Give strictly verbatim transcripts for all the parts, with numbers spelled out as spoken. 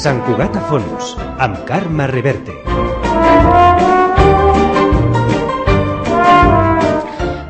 Sant Cugat a Fons, amb Carme Reverte.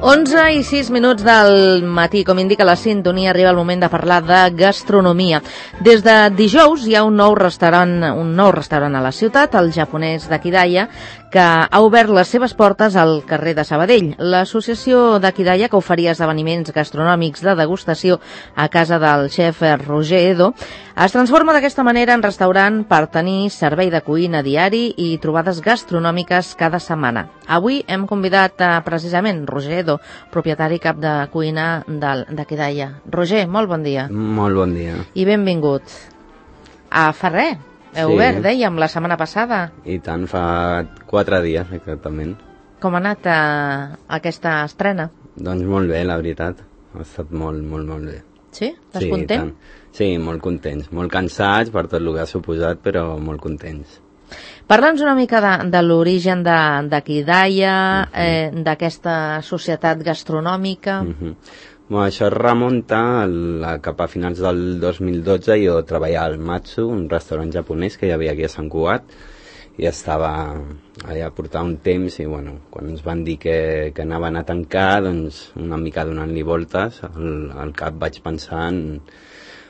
onze i sis minuts del matí, com indica la sintonia, arriba el moment de parlar de gastronomia. Des de dijous hi ha un nou restaurant, un nou restaurant a la ciutat, el japonès d'Akidaya, que ha obert les seves portes al carrer de Sabadell. L'associació d'Akidaya, que oferia esdeveniments gastronòmics de degustació a casa del xef Roger Edo, es transforma d'aquesta manera en restaurant per tenir servei de cuina diari i trobades gastronòmiques cada setmana. Avui hem convidat a, precisament Roger Edo, propietari cap de cuina d'Akidaya. Roger, molt bon dia. Molt bon dia. I benvingut. A fa res, heu Sí. obert, dèiem, la setmana passada. I tant, fa quatre dies, exactament. Com ha anat eh, aquesta estrena? Doncs molt bé, la veritat. Ha estat molt, molt, molt bé. Sí? Estàs sí, content? Tant. Sí, molt contents. Molt cansats per tot el que ha suposat, però molt contents. Parla'ns una mica de, de l'origen d'Akidaya, uh-huh. eh, d'aquesta societat gastronòmica. Uh-huh. Bueno, això es remunta a, cap a finals del dos mil dotze. Jo treballava al Matsu, un restaurant japonès que hi havia aquí a Sant Cugat, i estava allà a portar un temps, i bueno, quan ens van dir que, que anaven a tancar, doncs una mica donant-li voltes al, al cap vaig pensar en,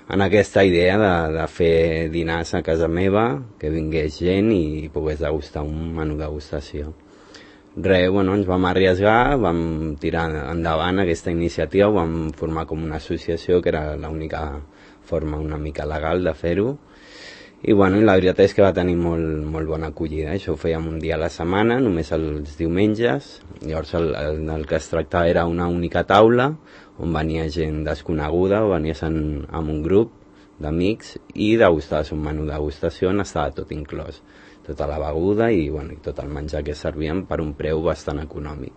en aquesta idea de, de fer dinars a casa meva, que vingués gent i pogués degustar un menú degustació. Res, bueno, ens vam arriesgar, vam tirar endavant aquesta iniciativa, vam formar com una associació, que era l'única forma una mica legal de fer-ho, i bueno, la veritat és que va tenir molt, molt bona acollida. Això ho fèiem un dia a la setmana, només els diumenges. Llavors el, el, el que es tractava era una única taula, on venia gent desconeguda, o venies en, en un grup d'amics, i degustaves un menú de degustació on estava tot inclòs. Tota la beguda i, bueno, i tot el menjar que servien per un preu bastant econòmic.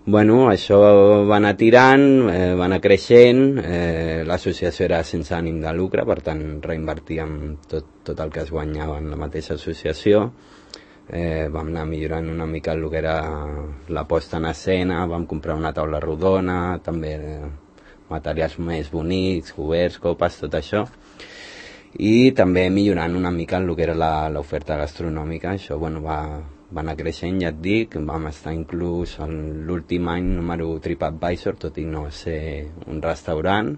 Bueno, això va anar tirant, eh, va anar creixent, eh, l'associació era sense ànim de lucre, per tant reinvertíem tot, tot el que es guanyava en la mateixa associació. Eh, vam anar millorant una mica el que era la posta en escena, vam comprar una taula rodona, també eh, materials més bonics, coberts, copes, tot això. I també millorant una mica el que era l'oferta gastronòmica. Això bueno, va, va anar creixent, ja et dic, vam estar inclús l'últim any número TripAdvisor, tot i no ser un restaurant,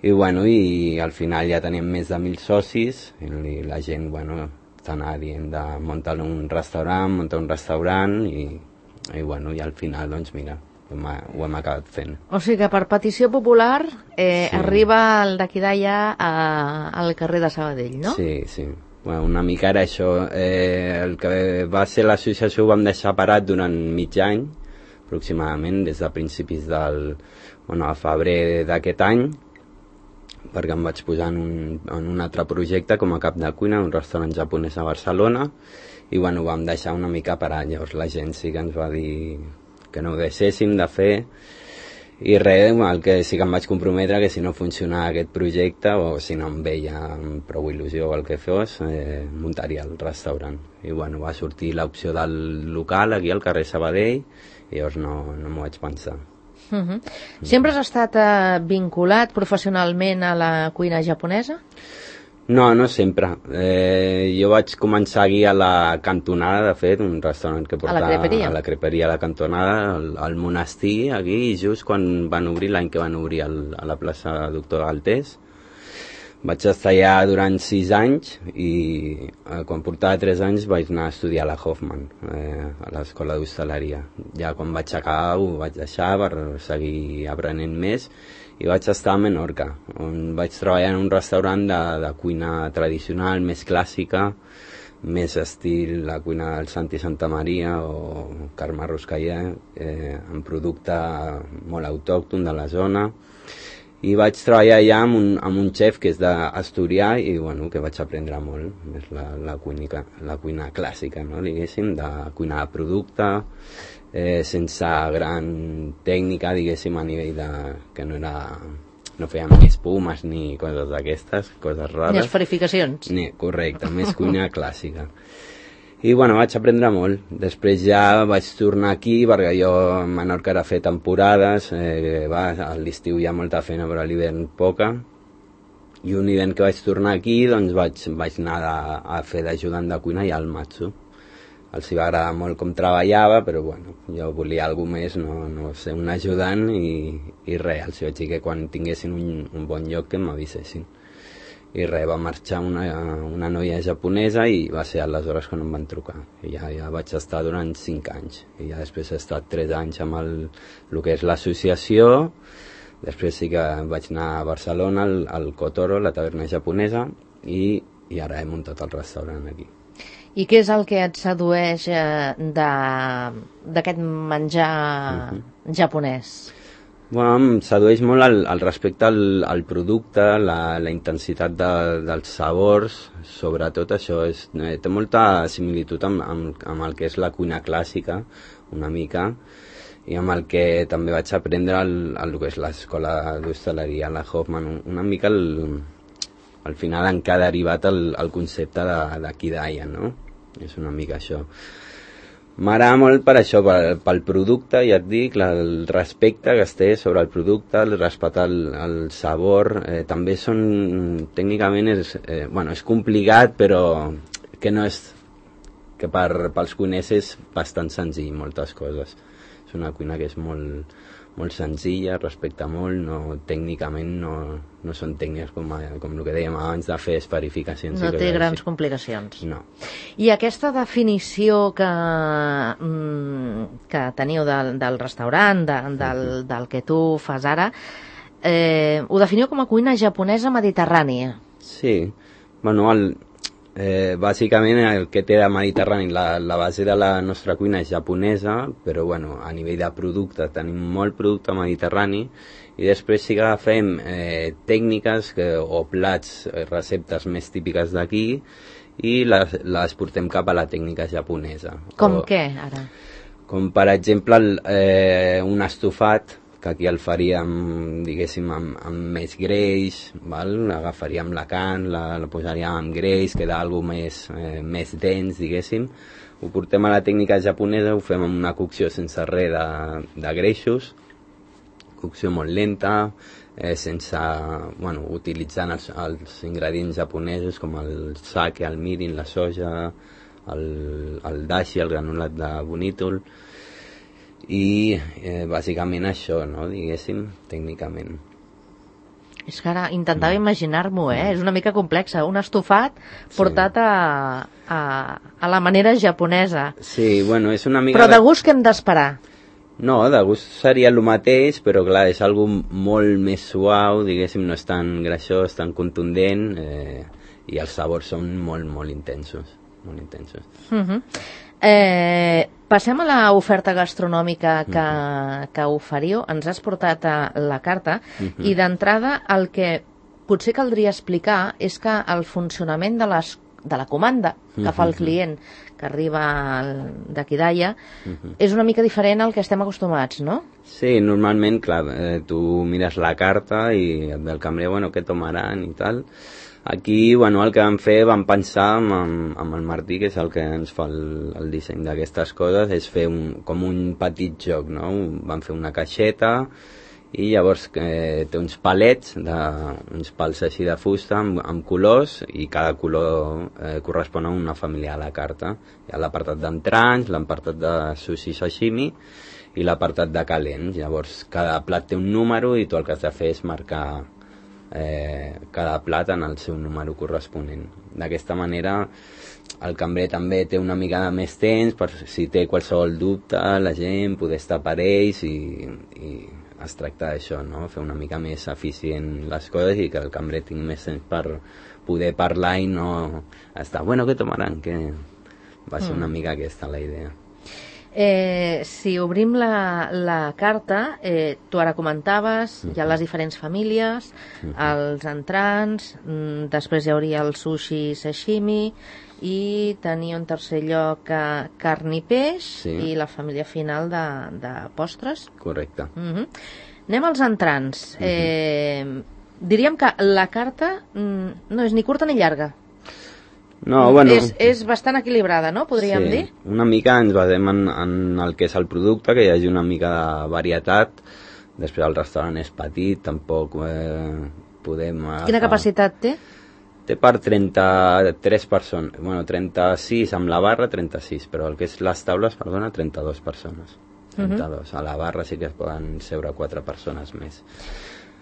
i, bueno, i al final ja teníem més de mil socis, i la gent bueno, t'anava dient de muntar un restaurant, muntar un restaurant, i, i, bueno, i al final, doncs mira, ho hem acabat fent. O sigui que per petició popular eh, sí. arriba el d'Akidaya al carrer de Sabadell, no? Sí, sí. Bueno, una mica era això. Eh, el que va ser l'associació ho vam deixar parat durant mig any, aproximadament, des de principis del bueno, a febrer d'aquest any, perquè em vaig posar en un, en un altre projecte com a cap de cuina, un restaurant japonès a Barcelona, i bueno, ho vam deixar una mica parat. Llavors la gent sí que ens va dir que no ho deixéssim de fer, i res, el que sí que em vaig comprometre que si no funcionava aquest projecte o si no em veia amb prou il·lusió o el que fos, eh, muntaria el restaurant. I bueno, va sortir l'opció del local aquí al carrer Sabadell, i llavors no, no m'ho vaig pensar. Uh-huh. Sempre has estat eh, vinculat professionalment a la cuina japonesa? No, no sempre. Eh, jo vaig començar aquí a la Cantonada, de fet, un restaurant que porta... A la creperia? A la creperia, a la Cantonada, al, al monestir, aquí, just quan van obrir, l'any que van obrir el, a la plaça Doctor Galtés. Vaig estar allà durant sis anys i eh, quan portava tres anys vaig anar a estudiar a la Hoffman, eh, a l'escola d'hostaleria. Ja quan vaig acabar ho vaig deixar per seguir aprenent més, i vaig estar a Menorca, on vaig treballar en un restaurant de, de cuina tradicional, més clàssica, més estil la cuina del Santi Santa Maria o Carme Ruscaller, eh, amb producte molt autòcton de la zona. I vaig treballar allà amb un, amb un xef que és d'Asturià i bueno, que vaig aprendre molt, més la, la, cuina, la cuina clàssica, no? Diguéssim, de cuina de producte, eh, sense gran tècnica, diguéssim, a nivell de... que no era... no fèiem ni espumes ni coses d'aquestes, coses rares. Ni esferificacions. Ni, correcte, més cuina clàssica. I bueno, vaig aprendre molt. Després ja vaig tornar aquí, perquè jo a Menorca era fer temporades, eh, va, a l'estiu hi ha molta feina, però a l'hivern poca. I un hivern que vaig tornar aquí, doncs vaig, vaig anar a, a fer d'ajudant de cuina i al Matsu. Els hi va agradar molt com treballava, però bueno, jo volia alguna més, no, no ser un ajudant i, i res, els vaig dir que quan tinguessin un, un bon lloc que m'avisessin. I res, va marxar una, una noia japonesa i va ser aleshores quan em van trucar. I ja, ja vaig estar durant cinc anys. I ja després he estat tres anys amb el, el que és l'associació. Després sí que vaig anar a Barcelona, al, al Kotoro, la taverna japonesa, i, i ara he muntat el restaurant aquí. I què és el que et sedueix eh, d'aquest menjar uh-huh. japonès? Bueno, em sedueix molt el, el respecte al, al producte, la, la intensitat de, dels sabors, sobretot això. És, eh, té molta similitud amb, amb, amb el que és la cuina clàssica, una mica, i amb el que també vaig aprendre el, el que és l'escola d'hostaleria, la Hoffman, una mica el, al final en què ha derivat el, el concepte de, de Kidaya, no? És una mica això. M'agrada molt per això, pel, pel producte, ja et dic, la, el respecte que es té sobre el producte, el respectar el, el sabor, eh, també són, tècnicament és, eh, bueno, és complicat, però que no és, que per, pels cuiners és bastant senzill, moltes coses. És una cuina que és molt, molt senzilla, respecta molt, no, tècnicament no, no són tècniques com, com el que dèiem abans de fer esperificacions. No té grans complicacions. No. I aquesta definició que, que teniu del, del restaurant, de, del, del que tu fas ara, eh, ho definiu com a cuina japonesa mediterrània. Sí, bueno, el, eh, bàsicament el que té de mediterrani, la, la base de la nostra cuina és japonesa, però bueno, a nivell de producte tenim molt producte mediterrani, i després sí que agafem eh, tècniques que, o plats, eh, receptes més típiques d'aquí, i les, les portem cap a la tècnica japonesa. Com o, què, ara? Com per exemple el, eh, un estofat, que aquí el faríem, diguéssim, amb, amb més greix, val? Agafaríem la carn, la, la posaríem amb greix, queda alguna més, eh, més dens, diguéssim. Ho portem a la tècnica japonesa, ho fem amb una cocció sense res de, de greixos, cocció molt lenta, eh, sense, bueno, utilitzant els, els ingredients japonesos com el sake, el mirin, la soja, el, el dashi, el granulat de bonítol, i eh, bàsicament això, no, diguéssim, tècnicament. És que ara intentava mm. imaginar-m'ho, eh? Mm. És una mica complexa. Un estofat portat sí. a, a, a la manera japonesa. Sí, bueno, és una mica... Però de gust què hem d'esperar? No, de gust seria el mateix, però clar, és algo molt més suau, diguéssim, no és tan greixós, tan contundent, eh, i els sabors són molt, molt intensos, molt intensos. Uh-huh. Eh, passem a l'oferta gastronòmica que, uh-huh. que oferiu. Ens has portat a la carta, uh-huh. i d'entrada el que potser caldria explicar és que el funcionament de, les, de la comanda que uh-huh. fa el client, que arriba de Kidaya, uh-huh. és una mica diferent al que estem acostumats, no? Sí, normalment, clar, eh, tu mires la carta i et ve el cambrer, bueno, què tomaran i tal. Aquí, bueno, el que vam fer, vam pensar amb, amb, amb el Martí, que és el que ens fa el, el disseny d'aquestes coses, és fer un, com un petit joc, no? Vam fer una caixeta i llavors eh, té uns palets, de, uns pals així de fusta amb, amb colors, i cada color eh, correspon a una família a la carta. Hi ha l'apartat d'entrants, l'apartat de sushi sashimi i l'apartat de calents. Llavors cada plat té un número i tu el que has de fer és marcar Eh, cada plat en el seu número corresponent. D'aquesta manera el cambrer també té una mica de més temps per si té qualsevol dubte la gent poder estar per ells, i, i es tracta d'això, no? Fer una mica més eficient les coses i que el cambrer tingui més temps per poder parlar i no estar, bueno, què tomaran? Que va ser una mica aquesta la idea. Eh, si obrim la, la carta, eh, tu ara comentaves, uh-huh. hi ha les diferents famílies, uh-huh. els entrants, mm, després hi hauria el sushi sashimi, i tenia un tercer lloc eh, carn i peix, sí. i la família final de, de postres. Correcte. Uh-huh. Anem als entrants. Uh-huh. Eh, diríem que la carta mm, no és ni curta ni llarga. No, bueno, és, és bastant equilibrada, no? Podríem sí, dir? Una mica ens basem en, en el que és el producte, que hi hagi una mica de varietat. Després el restaurant és petit, tampoc eh, podem... Quina capacitat té? Té per trenta-tres persones, bueno, trenta-sis amb la barra, trenta-sis, però el que és les taules, perdona, trenta-dues persones. trenta-dos. Uh-huh. A la barra sí que es poden seure quatre persones més.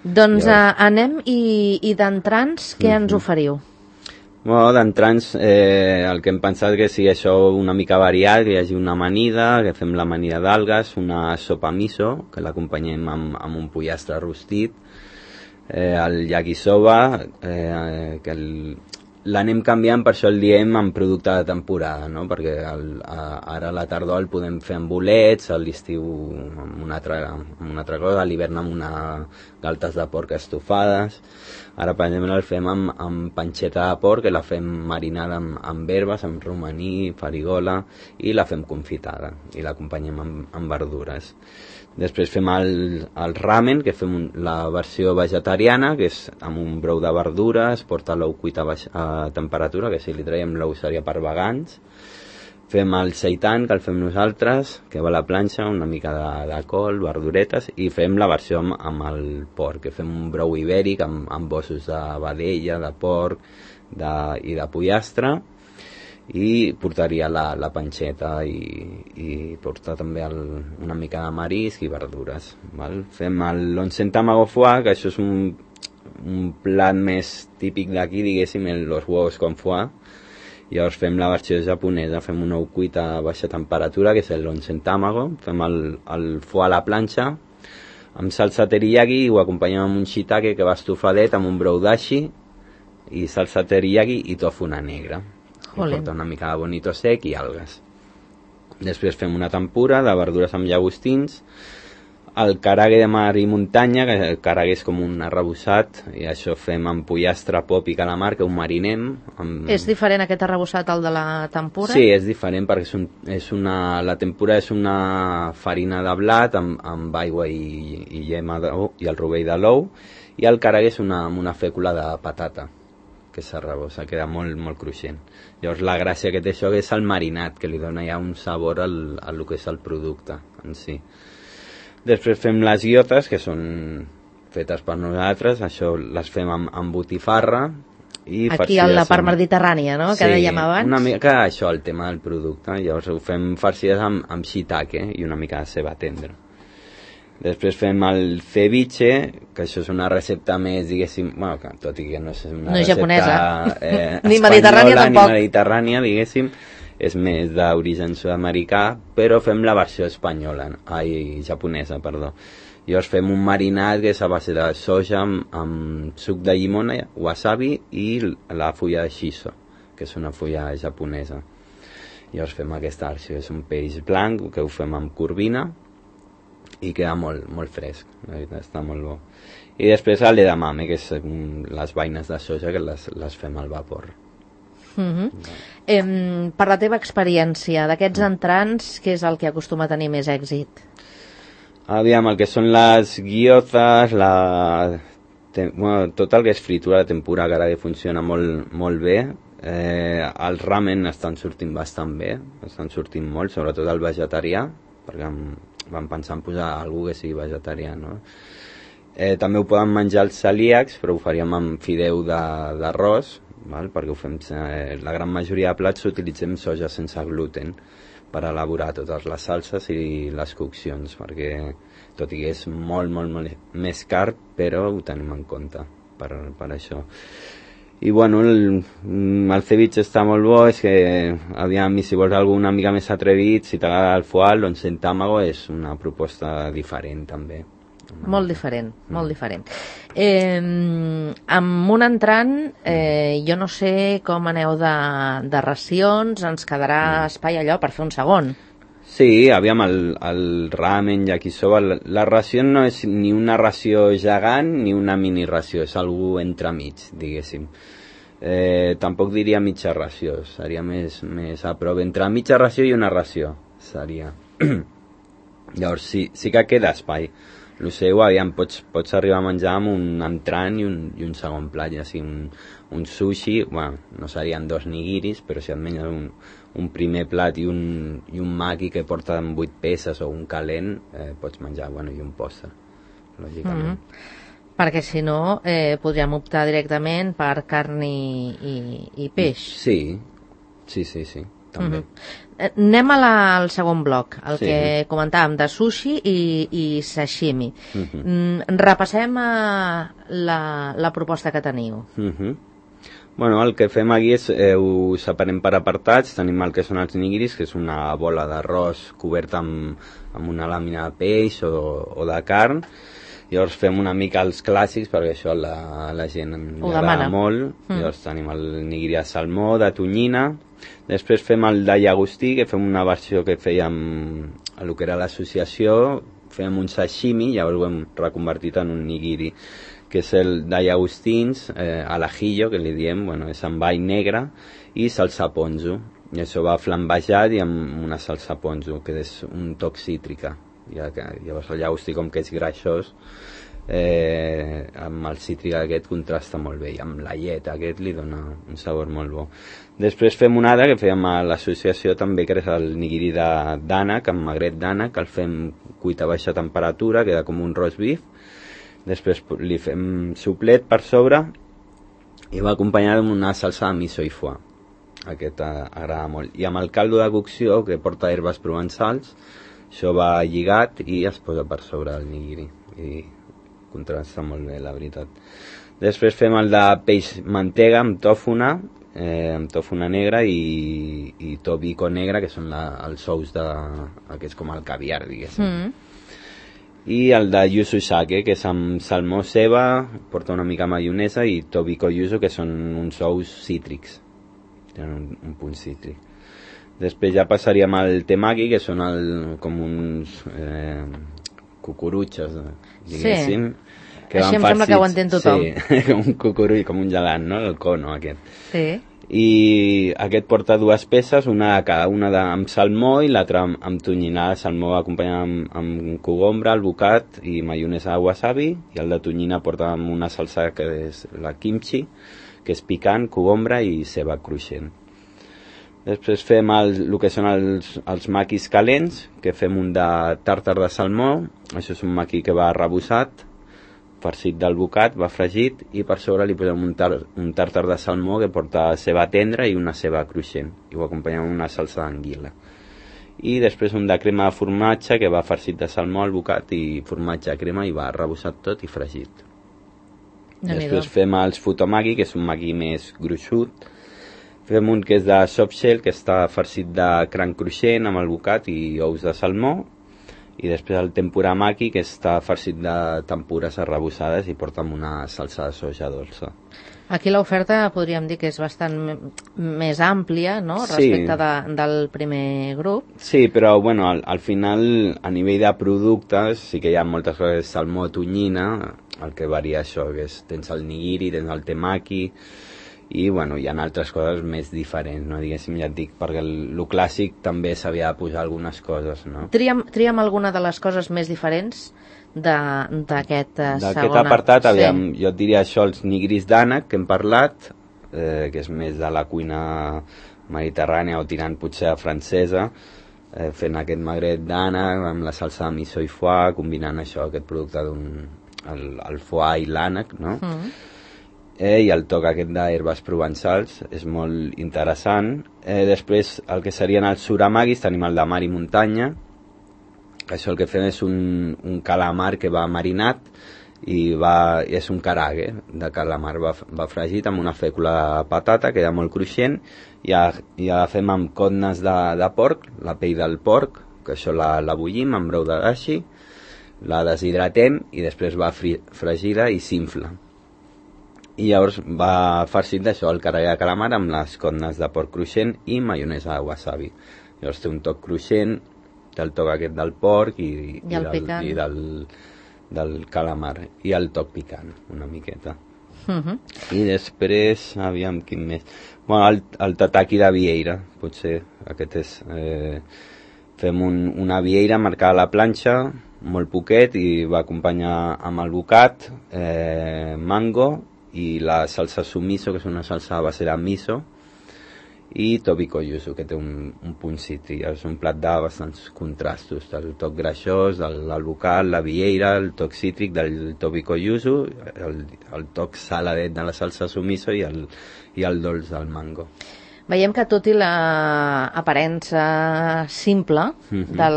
Doncs Llavors... uh, anem i, i d'entrants, què uh-huh. ens oferiu? Bueno, d'entrants, eh, el que hem pensat que sigui això una mica variat, que hi hagi una amanida, que fem l'amanida d'algues, una sopa miso, que l'acompanyem amb, amb un pollastre rostit, eh, el yakisoba, eh, que el, l'anem canviant, per això el diem en producte de temporada, no? Perquè el, a, ara a la tardor el podem fer amb bolets, a l'estiu amb una altra, amb una altra cosa, a l'hivern amb una galtes de porc estofades. Ara, per exemple, el fem amb, amb panxeta de porc, que la fem marinada amb, amb herbes, amb romaní, farigola, i la fem confitada, i l'acompanyem amb, amb verdures. Després fem el, el ramen, que fem un, la versió vegetariana, que és amb un brou de verdures, porta l'ou cuit a, baix, a temperatura, que si li traiem l'ou seria per vegans. Fem el seitan, que el fem nosaltres, que va a la planxa, una mica de, de col, verduretes, i fem la versió amb, amb el porc, que fem un brou ibèric amb, amb ossos de vedella, de porc de, i de pollastre, i portaria la, la panxeta i, i portar també el, una mica de marisc i verdures, val? Fem l'onsen tamago foie, que això és un, un plat més típic d'aquí, diguéssim, los huevos con foie. Llavors fem la versió japonesa, fem un ou cuit a baixa temperatura, que és l'onsen tamago, fem el, el foie a la planxa amb salsa teriyaki i ho acompanyem amb un shiitake que va estofadet amb un brou dashi i salsa teriyaki i tofuna negra. Porta una mica de bonito sec i algues. Després fem una tempura de verdures amb llagostins, el karage de mar i muntanya, que el karage és com un arrebossat, i això fem amb pollastre, pop i calamar, que ho marinem. Amb... És diferent aquest arrebossat al de la tempura? Sí, és diferent perquè és un, és una, la tempura és una farina de blat amb, amb aigua i, i llema d'ou i el rovell de l'ou, i el karage és una, una fècula de patata que s'arrebossa, queda molt, molt cruixent. Llavors la gràcia que té això és el marinat, que li dona ja un sabor al, al que és el producte en si. Després fem les guiotes, que són fetes per nosaltres, això les fem amb, amb botifarra. I aquí a la part mediterrània, no?, que sí, dèiem abans. Una mica això, el tema del producte. Llavors ho fem farcides amb, amb shiitake i una mica de ceba tendra. Després fem el ceviche, que això és una recepta més, diguéssim, bueno, que, tot i que no és una no recepta japonesa. Eh, ni mediterrània tampoc. Ni mediterrània, diguéssim, és més d'origen sud-americà, però fem la versió espanyola, ai, japonesa, perdó. Llavors fem un marinat que és a base de soja amb, amb suc de llimona, wasabi i la fulla de shiso, que és una fulla japonesa. Llavors fem aquesta versió, és un peix blanc que ho fem amb corvina, i queda molt, molt fresc, la veritat, està molt bo. I després l'edamame, que és les vaines de soja que les, les fem al vapor. Uh-huh. eh, per la teva experiència d'aquests entrants, què és el que acostuma a tenir més èxit? Aviam, el que són les guiotes, la... bueno, tot el que és fritura de tempura, que ara que funciona molt, molt bé. Eh, el ramen estan sortint bastant bé, estan sortint molt, sobretot el vegetarià, perquè vam pensar en posar algú que sigui vegetarià, no? Eh, també ho poden menjar els celíacs, però ho faríem amb fideu d'arròs, perquè ho fem, eh, la gran majoria de plats utilitzem soja sense gluten per elaborar totes les salses i les coccions, perquè tot i que és molt, molt, molt més car, però ho tenim en compte per, per això. I bueno, el, el ceviche està molt bo, és que aviam, si vols algú una mica més atrevit, si t'agrada el foie, l'onsen tamago és una proposta diferent també. Molt diferent, molt diferent. Eh, amb un entrant, eh, jo no sé com aneu de, de racions, ens quedarà espai allò per fer un segon. Sí, aviam, el, el ramen, yakisoba, la, la ració no és ni una ració gegant ni una mini ració, és algú entremig, diguéssim. Eh, tampoc diria mitja ració, seria més, més a prop, entre mitja ració i una ració, seria. Llavors sí, sí que queda espai. El seu, aviam, pots, pots arribar a menjar amb un entrant i un, i un segon plat, ja sigui un, un sushi, bueno, no serien dos nigiris, però si et menges un, un primer plat i un, i un maki que porta vuit peces o un calent, eh, pots menjar, bueno, i un postre, lògicament. Mm-hmm. Perquè si no eh, podríem optar directament per carn i, i, i peix. Sí, sí, sí, sí, també. Uh-huh. Anem a la, al segon bloc, el Sí. que comentàvem de sushi i, i sashimi. Uh-huh. Mm, repassem uh, la, la proposta que teniu. Uh-huh. Bueno, el que fem aquí és, eh, ho separem per apartats, tenim el que són els nigiris, que és una bola d'arròs coberta amb, amb una làmina de peix o, o de carn. Llavors fem una mica els clàssics, perquè això la, la gent li agrada molt. Mm. Llavors tenim el nigiri de salmó, de tonyina. Després fem el de llagostí, que fem una versió que fèiem a el que era l'associació. Fem un sashimi, llavors ho hem reconvertit en un nigiri, que és el de llagostins, eh, a l'ajillo, que li diem, bueno, és amb all negre, i salsa ponzu. I això va flambejat i amb una salsa ponzu, que és un toc cítrica. Ja que, llavors el llagostí, com que és greixós, eh, amb el cítric aquest contrasta molt bé, i amb la llet aquest li dona un sabor molt bo. Després fem un altre que fèiem a l'associació també, que és el nigiri d'ànec, amb magret d'ànec, el fem cuit a baixa temperatura, queda com un roast beef. Després li fem suplet per sobre i va acompanyat amb una salsa de miso i foie. Aquest agrada molt. I amb el caldo de cocció, que porta herbes provençals, això va lligat i es posa per sobre el nigiri. I contrasta molt bé, la veritat. Després fem el de peix mantega amb tòfona, eh, amb tòfona negra i, i tobiko negre, que són la, els ous de... que és com el caviar, diguéssim. Mm. I el de yuzu sake, que és amb salmó ceba, porta una mica maionesa, i tobiko yuzu, que són uns ous cítrics. Tenen un, un punt cítric. Després ja passaríem al temaki, que són el, com uns eh, cucurutxos, diguéssim. Sí. Que Així van em farcits, sembla que ho entén tothom. Sí, com un cucurull, com un gelat, no? El cono aquest. Sí. I aquest porta dues peces, una de cada una de, amb salmó i l'altra amb, amb tonyina. El salmó acompanyat amb, amb cogombra, albocat i maionesa de wasabi, i el de tonyina porta amb una salsa que és la kimchi, que és picant, cogombra i ceba cruixent. Després fem el, el que són els, els maquis calents, que fem un de tàrtar de salmó. Això és un maqui que va arrebossat, farcit d'albocat, va fregit, i per sobre li posem un, tar, un tàrtar de salmó que porta ceba tendra i una ceba cruixent, i ho acompanyem amb una salsa d'anguila. I després un de crema de formatge que va farcit de salmó, albocat i formatge de crema, i va arrebossat tot i fregit. Després fem els futomaki, que és un maqui més gruixut. Fem un que és de soft shell, que està farcit de cranc cruixent amb albocat i ous de salmó. I després el tempura maki, que està farcit de tempures arrebossades i porta amb una salsa de soja dolça. Aquí l'oferta podríem dir que és bastant més àmplia, no?, respecte sí. de, del primer grup. Sí, però bueno, al, al final, a nivell de productes, sí que hi ha moltes coses, salmó, tonyina, el que varia això, que és, tens el nigiri, tens el temaki, i bueno, hi ha altres coses més diferents, no? Diguéssim, ja et dic, perquè el, el clàssic també s'havia de posar algunes coses, no? Tria'm, tria'm alguna de les coses més diferents d'aquest uh, segon... D'aquest apartat, aviam, sí. Jo et diria això, els nigiris d'ànec, que hem parlat, eh, que és més de la cuina mediterrània o tirant potser a francesa, eh, fent aquest magret d'ànec amb la salsa de miso i foie, combinant això, aquest producte d'un... el, el foie i l'ànec, no? Mm. Eh, i el toc aquest d'herbes provençals és molt interessant. Eh, després el que serien els suramagis, tenim el de mar i muntanya, això el que fem és un, un calamar que va marinat i va, és un karage de calamar, va, va fregit amb una fècula de patata, queda molt cruixent, i ja, ja la fem amb cotnes de, de porc, la pell del porc, que això la, la bullim amb brou de dashi, la deshidratem i després va fri, fregida i s'infla. I llavors va farcit d'això, el karage de calamar amb les cotnes de porc cruixent i maionesa de wasabi. Llavors té un toc cruixent, té el toc aquest del porc i, i, I, el del, i del, del calamar, i el toc picant, una miqueta. Uh-huh. I després, aviam, quin més... Bueno, el, el tataki de vieira, potser, aquest és... Eh, fem un, una vieira marcada a la planxa, molt poquet, i va acompanyar amb albocat, eh, mango, i la salsa sumiso, que és una salsa a base de miso, i tobiko yuzu, que té un, un punt cítric. És un plat de bastants contrastos, el toc greixós, l'alvocat, la vieira, el toc cítric del tobiko yuzu, el, el toc saladet de la salsa sumiso i el, i el dolç del mango. Veiem que tot i l'aparença simple mm-hmm. del,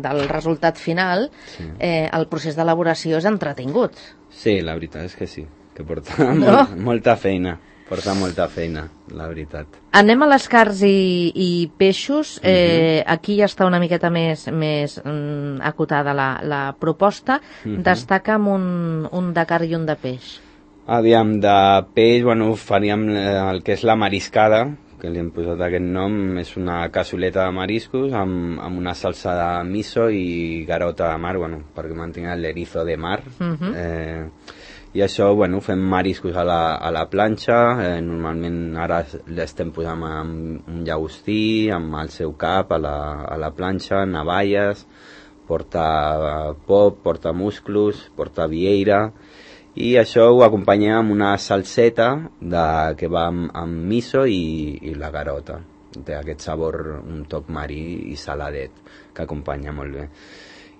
del resultat final, sí. eh, el procés d'elaboració és entretingut. Sí, la veritat és que sí, que porta no? molt, molta feina, porta molta feina, la veritat. Anem a les carns i, i peixos, eh, mm-hmm. aquí ja està una miqueta més, més mm, acotada la, la proposta, mm-hmm. destaca'm un, un de carn i un de peix. Aviam, de peix, bueno, faríem el que és la mariscada, que li hem posat aquest nom, és una cassoleta de mariscos amb, amb una salsa de miso i garota de mar, bueno, perquè mantingui l'erizo de mar. Uh-huh. eh, I això, bueno, fem mariscos a la, a la planxa, eh, normalment ara l'estem posant amb un llagostí, amb el seu cap a la, a la planxa, navalles, porta pop, porta musclos, porta vieira, i això ho acompanyem amb una salseta de, que va amb, amb miso i, i la garota. Té aquest sabor, un toc marí i saladet, que acompanya molt bé.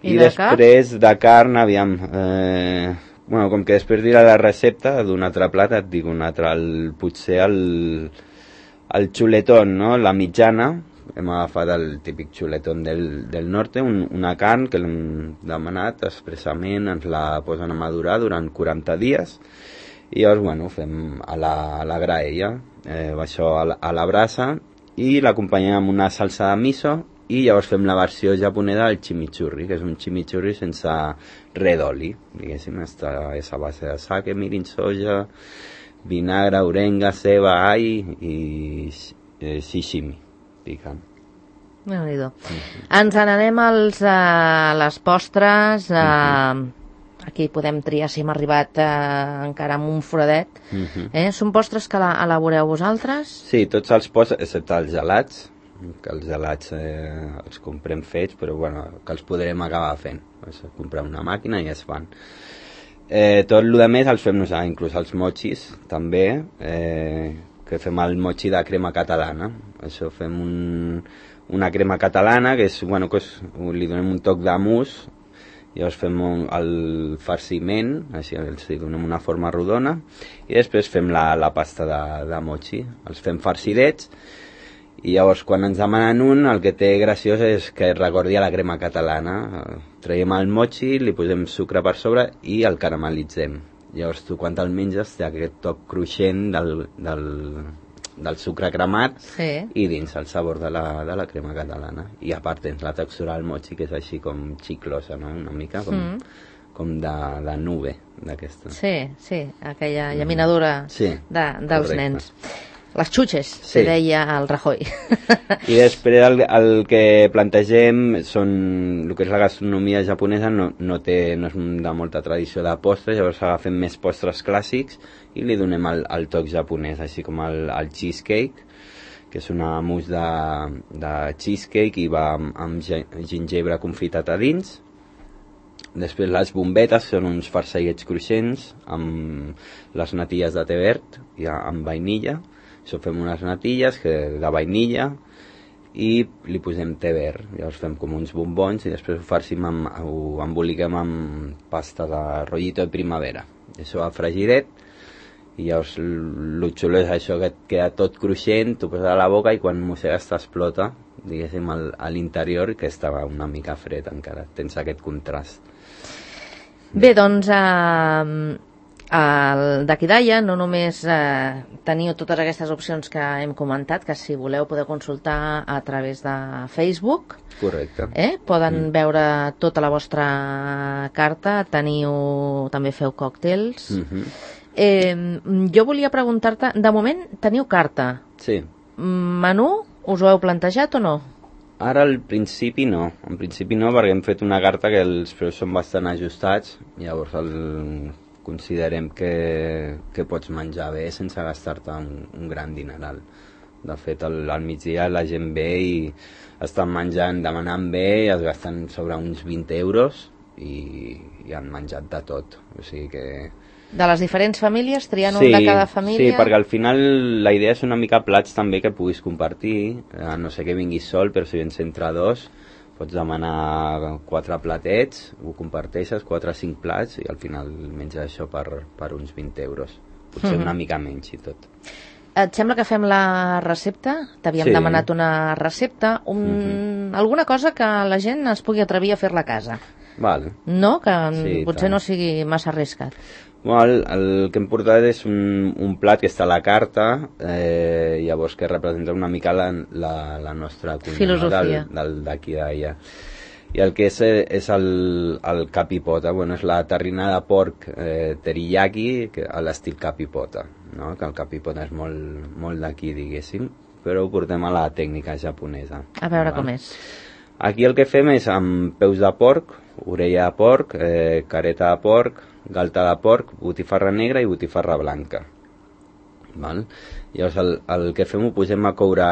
I, I de després carn? De carn, aviam, eh, bueno, com que després dirà la recepta d'un altre plat, et dic un altre, el, potser el, el xuletón, no? La mitjana. Hem agafat el típic xuletón del, del norte, un, una carn que l'hem demanat expressament, ens la posen a madurar durant quaranta dies i llavors, bueno, fem a la, a la graella, eh, això a la, a la brasa i l'acompanyem amb una salsa de miso i llavors fem la versió japonesa del chimichurri, que és un chimichurri sense res d'oli, diguéssim, està, és a base de sake, mirin, soja, vinagre, orenga, ceba, all i eh, sashimi. Déu-n'hi-do. Mm-hmm. Ens n'anem als, a les postres. A... Mm-hmm. Aquí podem triar si hem arribat a, encara amb un foradet. Mm-hmm. eh? Són postres que la, elaboreu vosaltres? Sí, tots els postres, excepte els gelats, que els gelats eh, els comprem fets, però bueno, que els podrem acabar fent. Pues, comprem una màquina i es fan. Eh, tot el que més els fem nosaltres, inclús els mochis també, eh, que fem el mochi de crema catalana. Això fem un, una crema catalana que és, bueno, que és, li donem un toc de mousse, llavors fem un, el farciment, així els donem una forma rodona i després fem la, la pasta de, de mochi, els fem farcidets i llavors quan ens demanen un, el que té graciós és que recordi a la crema catalana. Traiem el mochi, li posem sucre per sobre i el caramelitzem. Llavors tu quan te'l menges té aquest toc cruixent del, del, del sucre cremat sí. I dins el sabor de la, de la crema catalana. I a part tens la textura del mochi que és així com xiclosa, no? Una mica com, mm. com de, de nube d'aquesta. Sí, sí, aquella llaminadura mm. sí, de, dels correcte. Nens. Les xutxes, sí. Que deia el Rajoy. I després el, el que plantegem són, el que és la gastronomia japonesa no, no, té, no és de molta tradició de postres, llavors agafem més postres clàssics i li donem el, el toc japonès, així com el, el cheesecake, que és una mousse de, de cheesecake i va amb, amb gingebre confitat a dins. Després les bombetes són uns farcellets cruixents amb les natilles de té verd i amb vainilla. Això fem unes natilles que, de vainilla i li posem té verd. Llavors fem com uns bombons i després ho farcim amb, ho emboliquem amb pasta de rollito de primavera. I això va fregidet i llavors el xulo és això que et queda tot cruixent, tu poses a la boca i quan mossegues t'explota, diguéssim, al, a l'interior, que estava una mica fred encara. Tens aquest contrast. Bé, doncs... Uh... D'aquí d'Aia no només eh, teniu totes aquestes opcions que hem comentat, que si voleu podeu consultar a través de Facebook. Correcte. Eh? Poden mm. veure tota la vostra carta, teniu, també feu còctels. Mm-hmm. eh, jo volia preguntar-te, de moment teniu carta. Sí. Menú, us ho heu plantejat o no? Ara al principi no, en principi no, perquè hem fet una carta que els preus són bastant ajustats, llavors el... considerem que, que pots menjar bé sense gastar-te un, un gran dineral. De fet, al, al migdia la gent ve i estan menjant, demanant bé i es gasten sobre uns vint euros i, i han menjat de tot. O sigui que De les diferents famílies, triant sí, un de cada família? Sí, perquè al final la idea és una mica plats també que puguis compartir, eh, no sé que vinguis sol, però si vens entre dos, pots demanar quatre platets, ho comparteixes, quatre o cinc plats, i al final menges això per, per uns vint euros. Potser mm-hmm. una mica menys i tot. Et sembla que fem la recepta? T'havíem sí. demanat una recepta, un... mm-hmm. alguna cosa que la gent es pugui atrevir a fer-la a casa. Val. No? Que sí, potser tant. No sigui massa arriscat. Bueno, el, el que hem portat és un, un plat que està a la carta, eh, llavors que representa una mica la, la, la nostra cuina, filosofia, no? del, del, d'aquí d'allà. I el que és és el, el capipota, bueno, és la terrina de porc eh, teriyaki que, a l'estil capipota, no? Que el capipota és molt, molt d'aquí, diguéssim, però ho portem a la tècnica japonesa. A veure val? Com és. Aquí el que fem és amb peus de porc, orella de porc, eh, careta de porc, galta de porc, botifarra negra i botifarra blanca. Val? Llavors el, el que fem ho posem a coure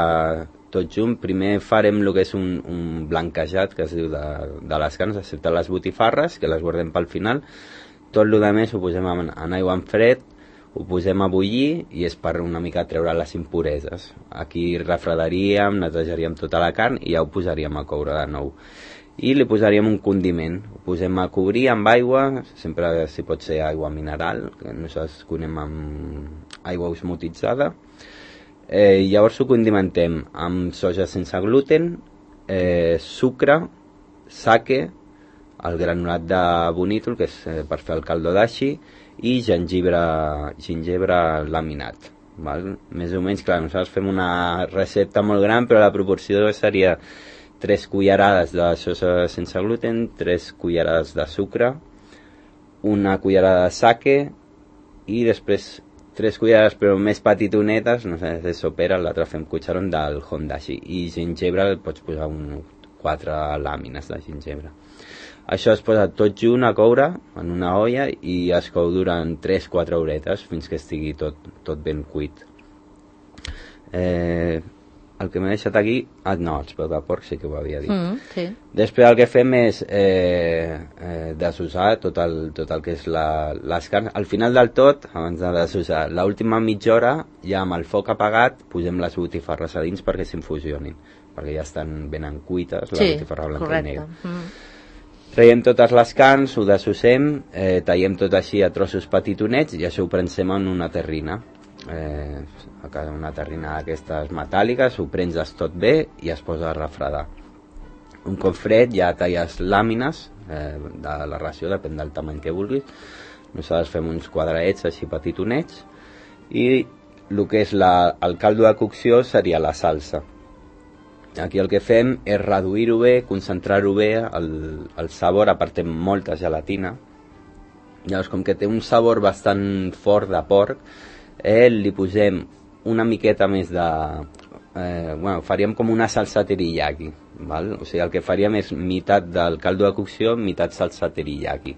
tot junt. Primer farem el que és un, un blanquejat, que es diu de, de les carns, excepte les botifarres, que les guardem pel final. Tot el que més ho posem en, en aigua en fred, ho posem a bullir i és per una mica treure les impureses. Aquí refredaríem, netejaríem tota la carn i ja ho posaríem a coure de nou. I li posaríem un condiment, ho posem a cobrir amb aigua, sempre si pot ser aigua mineral, que nosaltres cuinem amb aigua osmotitzada. Eh, llavors ho condimentem amb soja sense gluten, eh, sucre, sake, el granulat de bonítol, que és eh, per fer el caldo dashi, i gengibre, gingebre laminat. Val? Més o menys, clar, nosaltres fem una recepta molt gran, però la proporció seria tres cullerades de soja sense gluten, tres cullerades de sucre, una cullerada de sake i després tres cullerades però més petitonetes, no sé, de sopera, l'altre fem cucharon del hondashi, i gingebre pots posar un, quatre làmines de gingebre. Això es posa tot junt a coure en una olla i es cou durant tres a quatre horetes fins que estigui tot, tot ben cuit. Eh... El que m'he deixat aquí... Ah, no, els peus de porc sí que ho havia dit. Mm, sí. Després el que fem és eh, eh, desossar tot el, tot el que és la, les carns. Al final del tot, abans de desossar, l'última mitja hora, ja amb el foc apagat, posem les botifarres a dins perquè s'infusionin, perquè ja estan ben cuites, la sí, botifarra blanca correcte. i negra. Mm. Traiem totes les carns, ho desossem, eh, tallem tot així a trossos petitonets i això ho prensem en una terrina. Eh, una terrina d'aquestes metàl·liques, ho prenses tot bé i es posa a refredar. Un cop fred ja talles làmines eh, de la ració, depèn del tamany que vulguis. Nosaltres fem uns quadradets així petitonets i el que és la, el caldo de cocció seria la salsa. Aquí el que fem és reduir-ho bé, concentrar-ho bé, el, el sabor, apartem molta gelatina. Llavors, com que té un sabor bastant fort de porc, eh, li posem una miqueta més de... Eh, bueno, faríem com una salsa teriyaki, val? O sigui, el que faríem és meitat del caldo de cocció, meitat salsa teriyaki.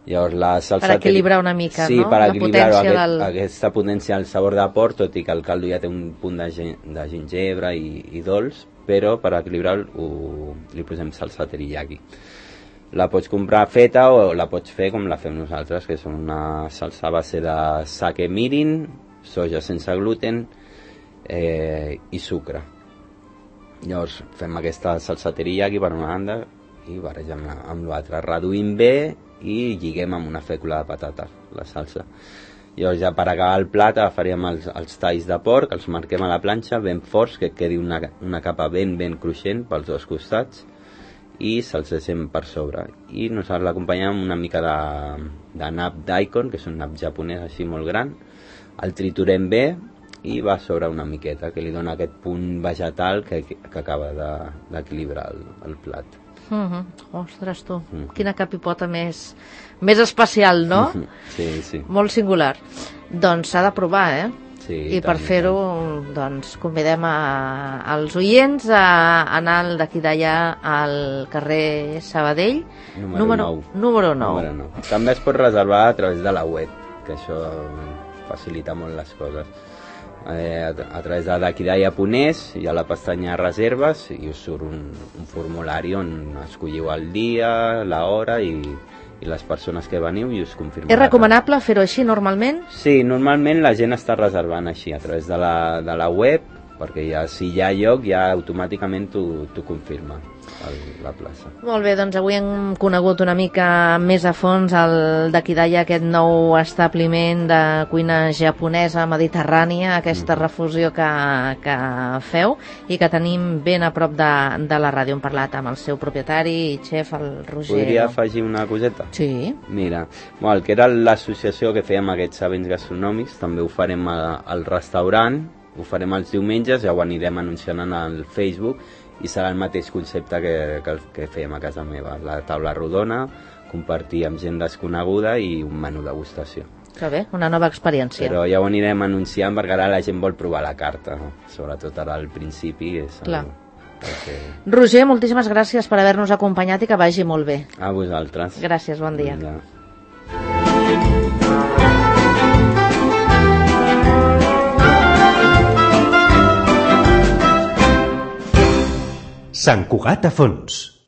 Llavors, la salsa per equilibrar una mica, sí, no? Per la equilibrar potència aquest, del... aquesta potència del sabor de porc, tot i que el caldo ja té un punt de, gen de gingebre i, i dolç, però per equilibrar-ho li posem salsa teriyaki. La pots comprar feta o la pots fer com la fem nosaltres, que és una salsa a base de sake mirin, soja sense gluten eh, i sucre. Llavors fem aquesta salsa teriyaki per una banda i barregem amb l'altra, reduïm bé i lliguem amb una fècula de patates la salsa. Llavors ja per acabar el plat agafaríem els, els talls de porc, els marquem a la planxa ben forts, que quedi una, una capa ben ben cruixent pels dos costats i se'ls deixem per sobre. I nosaltres l'acompanyem amb una mica de, de nap daikon, que és un nap japonès així molt gran, el triturem bé i va sobre una miqueta, que li dona aquest punt vegetal que, que acaba d'equilibrar de, el, el plat. Mm -hmm. Ostres, tu, mm -hmm. quina capipota més, més especial, no? Mm -hmm. Sí, sí. Molt singular. Doncs s'ha de provar, eh? Sí, i per fer-ho, doncs, convidem a, als oients a anar d'aquí d'allà al carrer Sabadell, número, número nou. Número nou. Número nou. També es pot reservar a través de la web, que això facilita molt les coses. Eh, a, a través de d'aquí d'allà Ponés hi ha la pestanya reserves i us surt un, un formulari on escolliu el dia, l'hora i, i les persones que veniu i us confirmaran. És recomanable fer-ho així normalment? Sí, normalment la gent està reservant així a través de la, de la web, perquè ja, si hi ha lloc ja automàticament t'ho confirma el, la plaça. Molt bé, doncs avui hem conegut una mica més a fons el d'aquí d'allà, aquest nou establiment de cuina japonesa mediterrània, aquesta mm. refusió que, que feu i que tenim ben a prop de, de la ràdio. Hem parlat amb el seu propietari i xef, el Roger. Podria afegir una coseta? Sí. Mira, bueno, el que era l'associació que fèiem aquests events gastronòmics, també ho farem a, al restaurant, ho farem els diumenges, ja ho anirem anunciant en el Facebook i serà el mateix concepte que, que, que fèiem a casa meva, la taula rodona, compartir amb gent desconeguda i un menú degustació. Que bé, una nova experiència. Però ja ho anirem anunciant perquè ara la gent vol provar la carta, no? Sobretot ara al principi. És el, el que... Roger, moltíssimes gràcies per haver-nos acompanyat i que vagi molt bé. A vosaltres. Gràcies, bon dia. Vinga. Sant Cugat a fons.